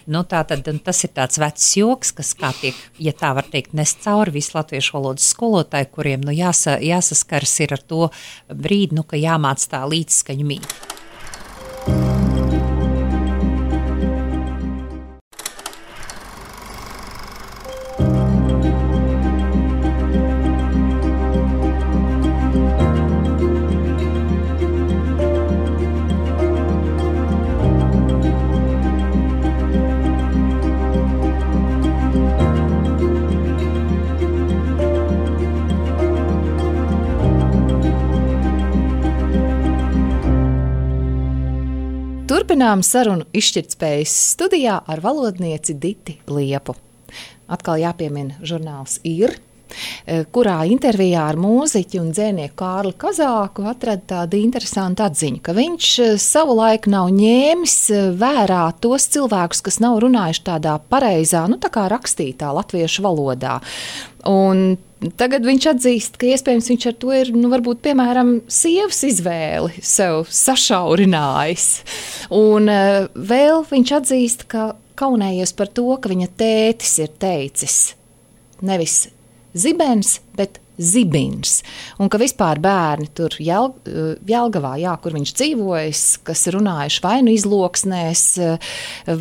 Tātad tas ir tāds vecs joks, kas kā tiek, ja tā var teikt, nes cauri visu latviešu valodas skolotāju, kuriem jāsaskars ir ar to brīdi, ka jāmāc tā līdzskaņu mīt. Turpinām sarunu izšķirtspējas studijā ar valodnieci Diti Liepu. Atkal jāpiemina žurnāls Ir, kurā intervijā ar mūziķi un dzēnieku Kārli Kazāku atrada tādu interesantu atziņu, ka viņš savulaik nav ņēmis vērā tos cilvēkus, kas nav runājuši tādā pareizā, tā kā rakstītā latviešu valodā. Un tagad viņš atzīst, ka iespējams viņš ar to ir, varbūt, piemēram, sievas izvēli sev sašaurinājis. Un vēl viņš atzīst, ka kaunējies par to, ka viņa tētis ir teicis nevis zibens, bet zibins. Un ka vispār bērni tur Jelgavā, kur viņš dzīvojas, kas runājuši vai izloksnēs,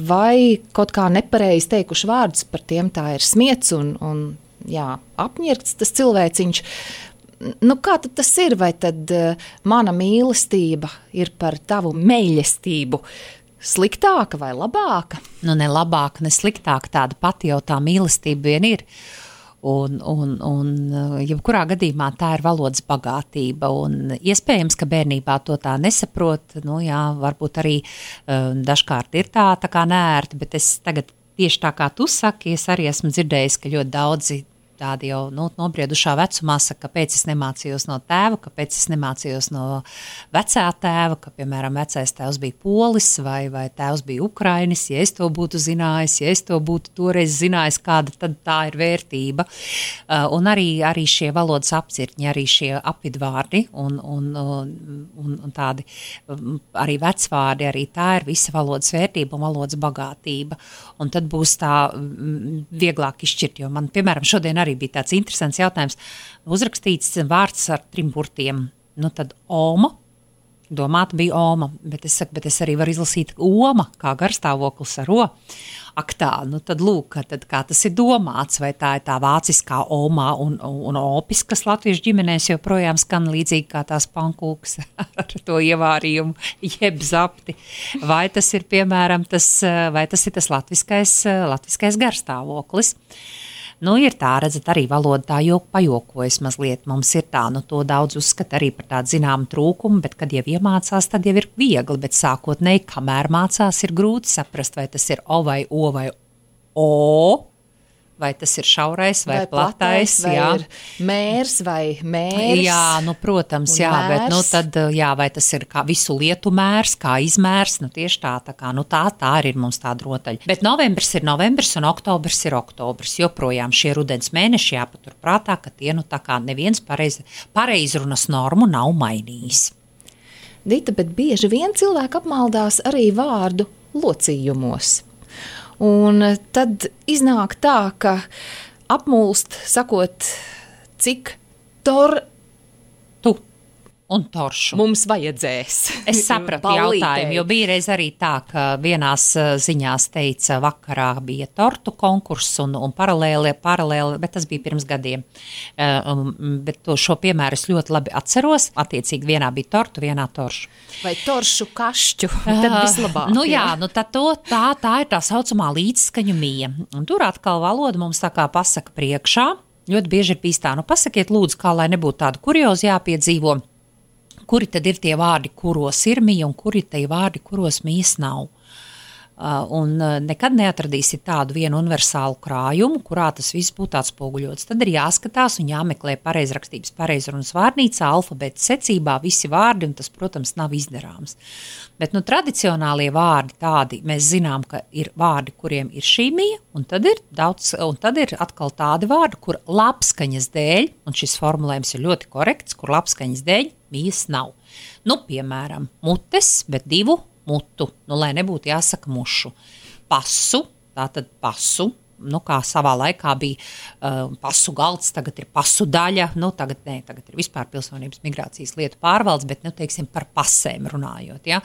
vai kaut kā nepareizi teikuši vārdus, par tiem tā ir smiets un apņirkts tas cilvēciņš. Kā tad tas ir? Vai tad mana mīlestība ir par tavu mīlestību sliktāka vai labāka? Ne labāka, ne sliktāka, tāda pati jau tā mīlestība vien ir. Un jebkurā gadījumā tā ir valodas bagātība, un iespējams, ka bērnībā to tā nesaprot, varbūt arī dažkārt ir tā kā neērti, bet es tagad tieši tā kā tu saki, es arī esmu dzirdējis, ka ļoti daudzi tādi jau nobriedušā vecumā saka, kāpēc es nemācījos no tēva, kāpēc es nemācījos no vecā tēva, ka, piemēram, vecais tēvs bija polis vai tēvs bija ukrainis, ja es to būtu zinājis, ja es to būtu toreiz zinājis, kāda tad tā ir vērtība. Un arī šie valodas apcirkņi, arī šie apvidvārdi un tādi arī vecvārdi, arī tā ir visa valodas vērtība un valodas bagātība. Un tad būs tā vieglāk izšķirt, jo man, piemēram, šodien arī bija tāds interesants jautājums. Uzrakstīts vārds ar 3 burtiem. Tad oma, domāta bija oma, bet es arī varu izlasīt oma, kā garstāvoklis ar o. Ak tā, tad lūk, kā tas ir domāts, vai tā ir tā vāciskā omā un opis, kas latviešu ģimenēs joprojām skan līdzīgi kā tās pankūks ar to ievārījumu, jeb zapti. Vai tas ir, piemēram, tas latviskais garstāvoklis. Ir tā, redzat, arī valoda tā pajokojas mazliet. Mums ir tā, to daudz uzskata arī par tādu zināmu trūkumu, bet kad jau iemācās, tad jau ir viegli, bet sākotnēji, kamēr mācās, ir grūti saprast, vai tas ir o vai o vai o, vai tas ir šaurais vai platais, vai ir mērs vai mērs. Jā, protams, jā, mērs. Bet tad, vai tas ir kā visu lietu mērs, kā izmērs, tieši tā kā, tā arī ir mums tāda rotaļa. Bet novembris ir novembris un oktobris ir oktobris, joprojām šie rudens mēneši jāpatur prātā, ka tie, tā kā neviens pareizrunas normu nav mainījis. Dita, bet bieži vien cilvēki apmaldās arī vārdu locījumos. Un tad iznāk tā, ka apmulst, sakot, cik un toršu mums vajadzēs. Es sapratu jautājumu, jo bija reiz arī tā, ka vienās ziņās teica, vakarā bija tortu konkurss un paralēli, bet tas bija pirms gadiem. Bet šo piemēru es ļoti labi atceros. Attiecīgi vienā bija tortu, vienā toršu. Vai toršu kašķu, tad vislabāk. Tad tā ir tā saucamā līdzskaņu mija. Un tur atkal valoda mums tā kā pasaka priekšā. Ļoti bieži ir bijis tā, pasakiet lūdzu, kā lai nebūtu tādu kuriozu jāpiedzīvo. Kuri tad ir tie vārdi, kuros ir mija, un kuri tie vārdi, kuros mijas nav. Un nekad neatradīsiet tādu vienu universālu krājumu, kurā tas viss būtu atspoguļots. Tad ir jāskatās un jāmeklē pareizrakstības pareizrunas vārnīcā, alfabēta secībā, visi vārdi, un tas, protams, nav izdarāms. Bet tradicionālie vārdi tādi, mēs zinām, ka ir vārdi, kuriem ir šī mija, un tad ir atkal tādi vārdi, kur labskaņas dēļ, un šis formulējums ir ļoti korekts, kur labskaņas dēļ mijas nav. Piemēram, mutes, bet 2 mutu, lai nebūtu jāsaka mušu. Pasu, tātad pasu, kā savā laikā bija pasu galds, tagad ir pasu daļa, tagad ir vispār pilsonības migrācijas lietu pārvaldes, bet, teiksim, par pasēm runājot, ja.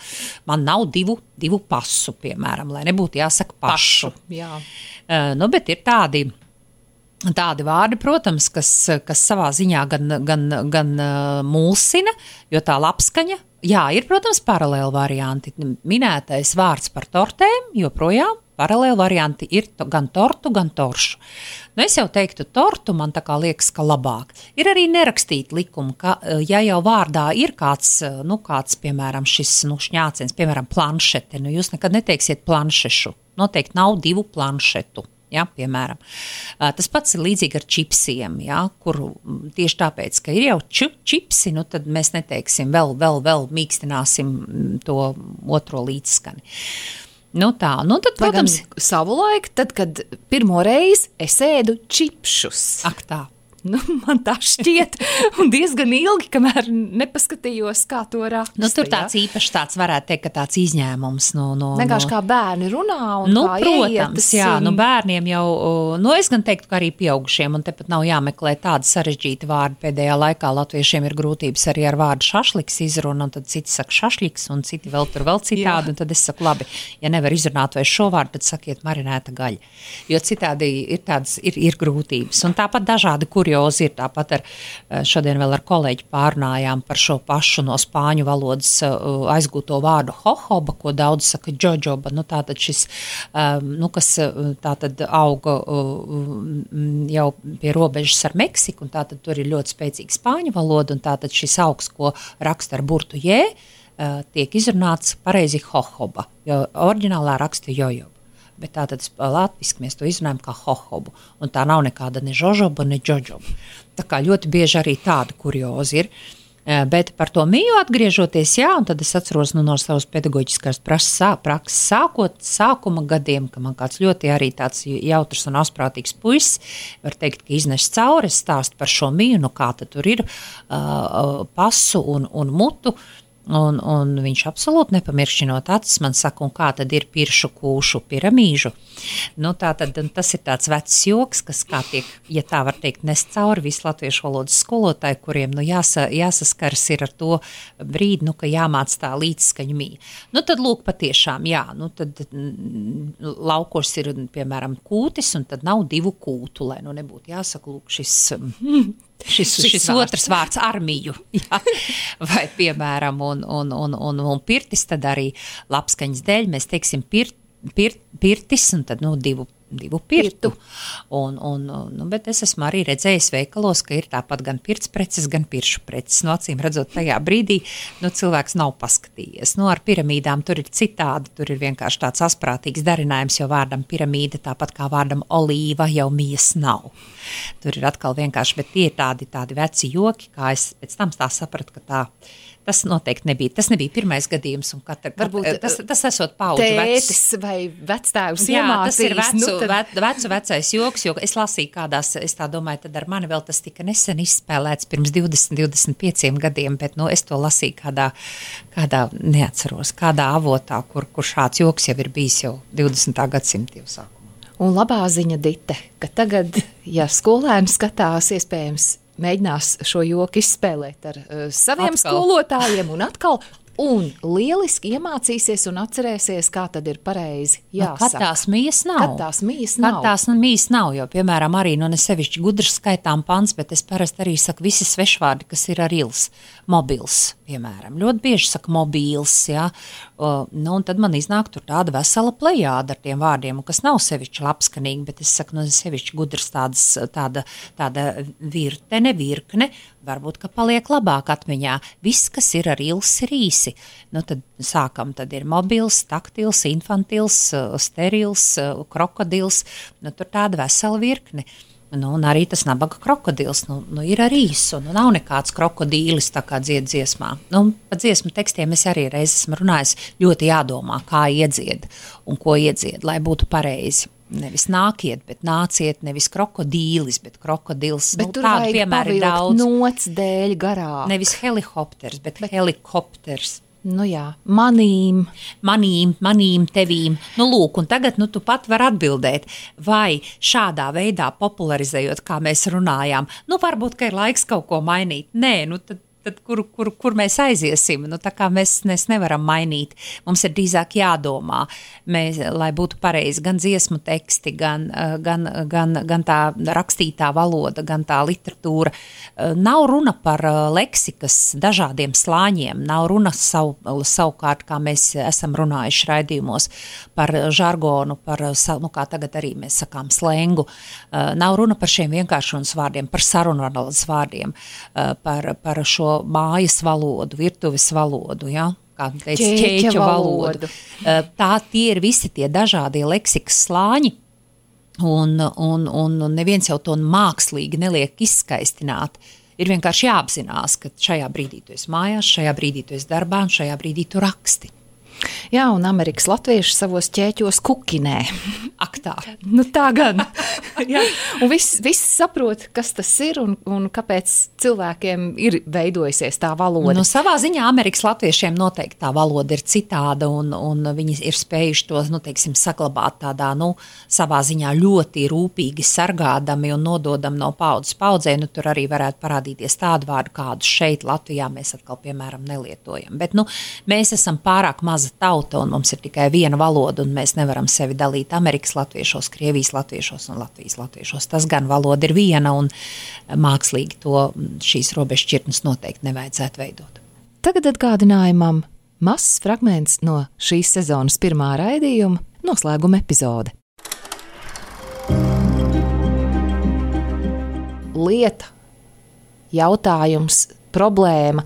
Man nav divu pasu, piemēram, lai nebūtu jāsaka pašu. Jā. Bet ir tādi vārdi, protams, kas savā ziņā gan mulsina, jo tā labskaņa, ir, protams, paralēli varianti. Minētais vārds par tortēm, joprojām paralēli varianti ir gan tortu, gan toršu. Es jau teiktu tortu, man tā kā liekas, ka labāk. Ir arī nerakstīt likumu, ka, ja jau vārdā ir kāds, piemēram, šis šņāciens, piemēram, planšete, jūs nekad neteiksiet planšešu. Noteikti nav 2 planšetu. Ja, piemēram. Tas pats ir līdzīgi ar čipsiem, kur tieši tāpēc, ka ir jau čipsi, tad mēs neteiksim vēl mīkstināsim to otro līdzskani. Tad, protams, savulaik, tad, kad pirmo reizi es ēdu čipšus. Ak tā. Man tā šķiet, un diezgan ilgi, kamēr nepaskatījos, kā to raksta. Tur tāds īpašs tāds varētu teikt, ka tāds izņēmums. Vienkārši kā bērni runā un kā protams, ieietas. Bērniem jau, es gan teiktu, ka arī pieaugušiem, un tepat nav jāmeklē tādi sarežģīti vārdi. Pēdējā laikā latviešiem ir grūtības arī ar vārdu šašliks izruna, un tad citi saka šašliks, un citi vēl citādi, un tad es saku, labi, ja nevar izrunāt vai šo vārdu, tad sakiet marinēta gaļa. Jo citādi ir grūtības. Un tāpat dažādi, kuri kuriozi ir tāpat šodien vēl ar kolēģi pārnājām par šo pašu no spāņu valodas aizgūto vārdu hohoba, ko daudz saka džodžoba, tātad šis, kas tātad auga jau pie robežas ar Meksiku, un tātad tur ir ļoti spēcīga spāņu valoda, un tātad šis augs, ko raksta ar burtu jē, tiek izrunāts pareizi hohoba, jo oriģinālā raksta jojoba. Bet tātad latviski mēs to izrunājam kā hohobu, un tā nav nekāda ne žožoba, ne džodžoba. Tā kā ļoti bieži arī tāda kuriozi ir. Bet par to mīju atgriežoties, un tad es atceros no savas pedagoģiskās prakses sākuma gadiem, ka man kāds ļoti arī tāds jautrs un asprātīgs puisis, var teikt, ka iznes cauri, stāst par šo mīju, kā tad tur ir pasu un mutu, un viņš absolūti nepamiršķinot acis man saka, un kā tad ir piršu kūšu piramīžu. Tātad tas ir tāds vecs joks, kas kā tiek, ja tā var teikt, nest cauri visu latviešu valodas skolotāju, kuriem jāsaskars ir ar to brīdi, ka jāmāc tā līdzskaņu mīja. Tad lūk patiešām, tad laukos ir, piemēram, kūtis, un tad nav divu kūtu, lai nebūtu jāsaka, lūk, šis otrs vārds armiju, vai piemēram, un pirtis, tad arī labskaņas dēļ mēs teiksim pirtis, un tad divu pirtu. Bet es esmu arī redzējis veikalos, ka ir tāpat gan pirts preces, gan piršu preces. Acīm redzot, tajā brīdī cilvēks nav paskatījies. Ar piramīdām tur ir citādi, tur ir vienkārši tāds asprātīgs darinājums, jo vārdam piramīda, tāpat kā vārdam olīva, jau mijas nav. Tur ir atkal vienkārši, bet tie ir tādi veci joki, kā es pēc tam tā sapratu, ka tas noteikti nebija. Tas nebija pirmais gadījums, un varbūt tas esot paudžu vecs. Tētis vai vectēvs iemācījis. Tas ir vecais joks, jo es lasīju kādās, es tā domāju, tad ar mani vēl tas tika nesen izspēlēts pirms 20-25 gadiem, bet es to lasīju kādā neatceros, kādā avotā, kur šāds joks jau ir bijis jau 20. gadsimta jau sākumā. Un labā ziņa, Dite, ka tagad, ja skolēni skatās, iespējams, mēģinās šo joku izspēlēt ar saviem skolotājiem un atkal, un lieliski iemācīsies un atcerēsies, kā tad ir pareizi jāsaka. Kad tās mijas nav. Kad tās mijas nav, jo, piemēram, arī, ne sevišķi gudrs skaitām pants, bet es parasti arī saku visi svešvārdi, kas ir ar ils. Mobils, piemēram. Ļoti bieži saka mobīls, un tad man iznāk tur tāda vesela plejāda ar tiem vārdiem, kas nav sevišķi labskanīgi, bet es saku, sevišķi gudrs tāda virkne, varbūt, ka paliek labāk atmiņā. Viss, kas ir ar ils, ir īsi. Tad sākam, tad ir mobils, taktils, infantils, sterils, krokodils, tur tāda vesela virkne. Un arī tas nabaga krokodils, ir ar īsu, nav nekāds krokodīlis tā kā dzied dziesmā. Pa dziesmu tekstiem es arī reiz esmu runājis, ļoti jādomā, kā iedzied un ko iedzied, lai būtu pareizi. Nevis nākiet, bet nāciet, nevis krokodīlis, bet krokodils. Bet tur vajag pavilkt nots dēļ garā. Nevis helikopters, bet helikopters. Manīm, tevīm. Lūk, un tagad tu pat var atbildēt, vai šādā veidā popularizējot, kā mēs runājām, varbūt, ka ir laiks kaut ko mainīt. Nē, tad kur mēs aiziesim? Tā kā mēs nevaram mainīt. Mums ir drīzāk jādomā, lai būtu pareizi gan dziesmu teksti, gan tā rakstītā valoda, gan tā literatūra. Nav runa par leksikas dažādiem slāņiem, nav runa savukārt, kā mēs esam runājuši raidījumos, par žargonu, kā tagad arī mēs sakām slengu. Nav runa par šiem vienkāršonas vārdiem, par sarunvalodas vārdiem, par šo mājas valodu, virtuves valodu, kā teica, ķēķa valodu. Tie ir visi tie dažādie leksikas slāņi, un neviens jau to mākslīgi neliek izskaistināt. Ir vienkārši jāapzinās, ka šajā brīdī tu esi mājās, šajā brīdī tu esi darbā, un šajā brīdī tu raksti. Jā, un Amerikas latvieši savos ķēķos kukinē. Ak tā. Tā gan. Jā. Un viss saprot, kas tas ir un kāpēc cilvēkiem ir veidojusies tā valoda. Savā ziņā Amerikas latviešiem noteikti tā valoda ir citāda un viņi ir spējuši to, saglabāt tādā, savā ziņā ļoti rūpīgi sargādami un nododam no paudzes paudzē. Tur arī varētu parādīties tādu vārdu, kādus šeit Latvijā mēs atkal, piemēram, nelietojam. Bet, mēs esam pārāk maza tauta, tauta un mums ir tikai viena valoda un mēs nevaram sevi dalīt Amerikas latviešos, Krievijas latviešos un Latvijas latviešos. Tas gan valoda ir viena un mākslīgi šīs robežšķirtnes noteikti nevajadzētu veidot. Tagad atgādinājumam mazs fragments no šīs sezonas pirmā raidījuma noslēguma epizode. Lieta, jautājums, problēma,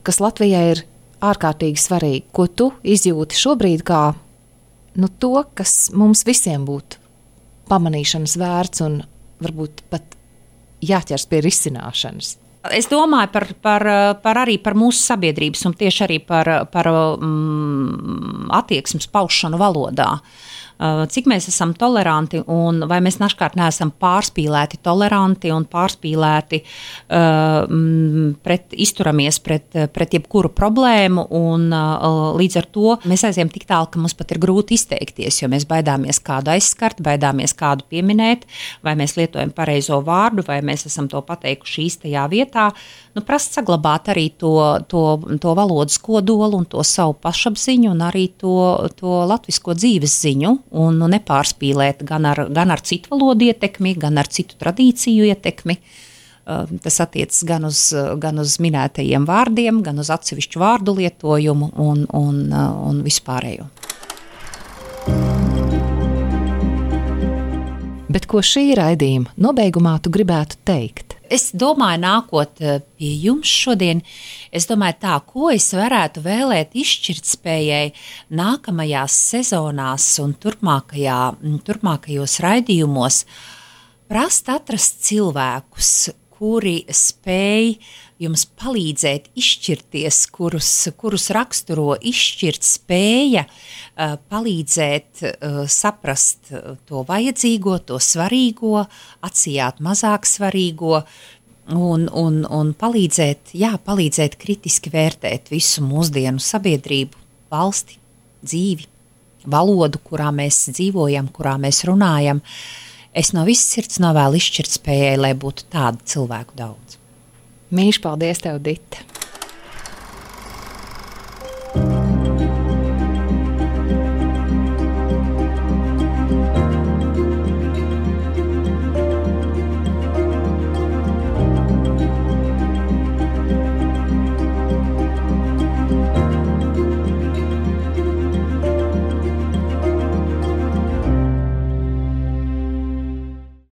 kas Latvijai ir ārkārtīgi svarīga, ko tu izjūti šobrīd kā to, kas mums visiem būtu pamanīšanas vērts un varbūt pat jāķers pie risināšanas. Es domāju arī par mūsu sabiedrības un tieši arī par attieksmes paušanu valodā. Cik mēs esam toleranti un vai mēs dažkārt neesam pārspīlēti toleranti un pārspīlēti izturamies pret jebkuru problēmu un līdz ar to mēs aizējam tik tālu, ka mums pat ir grūti izteikties, jo mēs baidāmies kādu aizskart, baidāmies kādu pieminēt, vai mēs lietojam pareizo vārdu, vai mēs esam to pateikuši īstajā vietā. Prast saglabāt arī to valodas kodolu un to savu pašapziņu un arī to latvisko dzīves ziņu un nepārspīlēt gan ar citu valodu ietekmi, gan ar citu tradīciju ietekmi. Tas attiecas gan uz minētajiem vārdiem, gan uz atsevišķu vārdu lietojumu un vispārējo. Bet ko šī raidījuma nobeigumā tu gribētu teikt? Es domāju, nākot pie jums šodien, es domāju tā, ko es varētu vēlēt izšķirtspējai nākamajās sezonās un turpmākajos raidījumos prast atrast cilvēkus, kuri spēj jums palīdzēt izšķirties, kurus raksturo izšķirt spēja, palīdzēt saprast to vajadzīgo, to svarīgo, atsijāt mazāk svarīgo un palīdzēt kritiski vērtēt visu mūsdienu sabiedrību, valsti, dzīvi, valodu, kurā mēs dzīvojam, kurā mēs runājam. Es no visas sirds novēlu izšķirt spējai, lai būtu tādu cilvēku daudz. Mīļš, paldies tev, Dita!